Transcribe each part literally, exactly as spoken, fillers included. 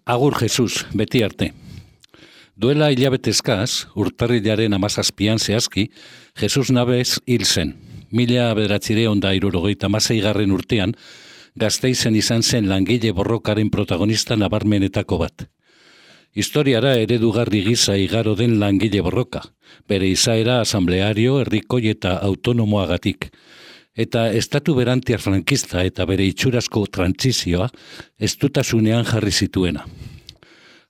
Agur Jesus, beti arte. Duela hilabete eskaz, urtarrilaren hamazazpian zehazki, Jesus Navez hil zen. Mila bederatzireun da hirurogeita hamaseigarren urtean, Gasteizen izan zen langile borrokaren protagonista nabarmenetako bat. Historiara eredugarri gisa igaro den langile borroka, bere izaera asambleario, herrikoi eta autonomoagatik, eta estatu berantiar frankista eta bere itxurazko trantzizioa estutasunean jarri zituena.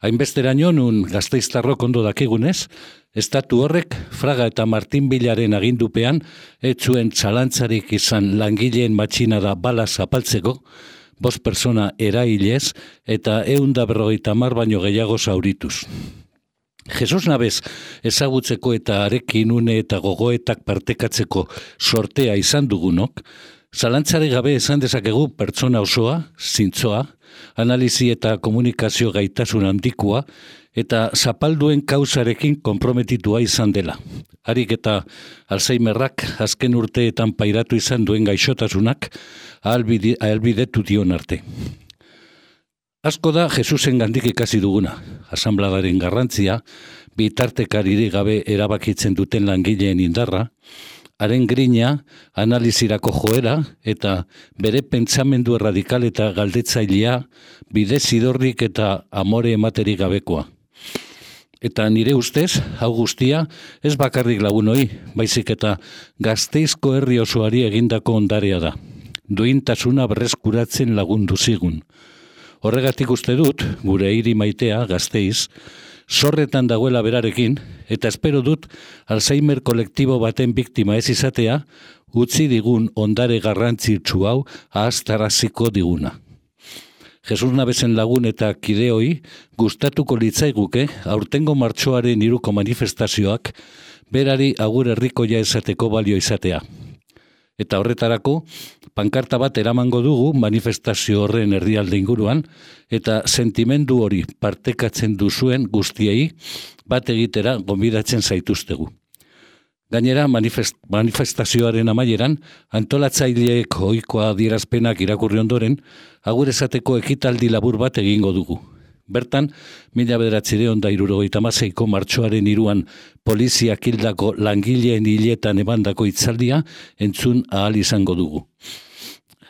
Hainbesteraino nun Gasteiztarrok ondo dakigunez, estatu horrek Fraga eta Martin Bilaren agindupean ez zuen txalantzarik izan langileen matxinada bala zapaltzeko, bost persona erailez eta ehun eta berrogeita hamar baino gehiago zaurituz. Jesus Navez ezagutzeko eta harekin une eta gogoetak partekatzeko sortea izan dugunok, zalantzari gabe esan dezakegu pertsona osoa, zintzoa, analizi eta komunikazio gaitasun handikoa eta zapalduen kausarekin konprometitua izan dela. Harik eta Alzheimerrak azken urteetan pairatu izan duen gaixotasunak ahalbidetu dion arte. Asko da Jesusen gandik ikasi duguna, asambladaren garrantzia, bitartekaririk gabe erabakitzen duten langileen indarra, haren grina, analizirako joera eta bere pentsamendu erradikal eta galdetzailea, bide zidorrik eta amore ematerik gabekoa. Eta nire ustez, hau guztia, ez bakarrik lagunoi, baizik eta Gasteizko herri osoari egindako ondarea da. Duintasuna berreskuratzen lagundu zigun. Horregatik uste dut, gure hiri maitea, Gasteiz, zorretan dagoela berarekin, eta espero dut Alzheimer kolektibo baten biktima ez izatea, utzi digun ondare garrantzitsu hau ahaztaraziko diguna. Jesus Navezen lagun eta kideoi gustatuko litzaiguke aurtengo martxoaren hiruko manifestazioak berari agur herrikoia esateko balio izatea. Eta horretarako, pankarta bat eramango dugu manifestazio horren herrialde inguruan, eta sentimendu hori partekatzen duzuen guztiei bat egitera gonbidatzen zaituztegu. Gainera, manifest, manifestazioaren amaieran, antolatzaileek ohikoa adierazpenak irakurri ondoren, agur esateko ekitaldi labur bat egingo dugu. Bertan, mila bederatzireun da hirurogeita hamaseiko martxoaren hiruan poliziak hildako langileen hiletan emandako hitzaldia entzun ahal izango dugu.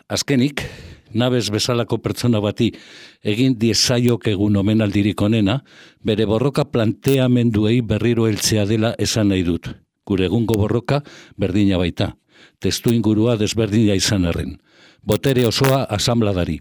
Azkenik, Navez bezalako pertsona bati egin diezaiok egun omenaldirik onena, bere borroka planteamenduei berriro heltzea dela esan nahi dut. Gure egungo borroka berdina baita, testu ingurua desberdina izan arren. Botere osoa asambladari.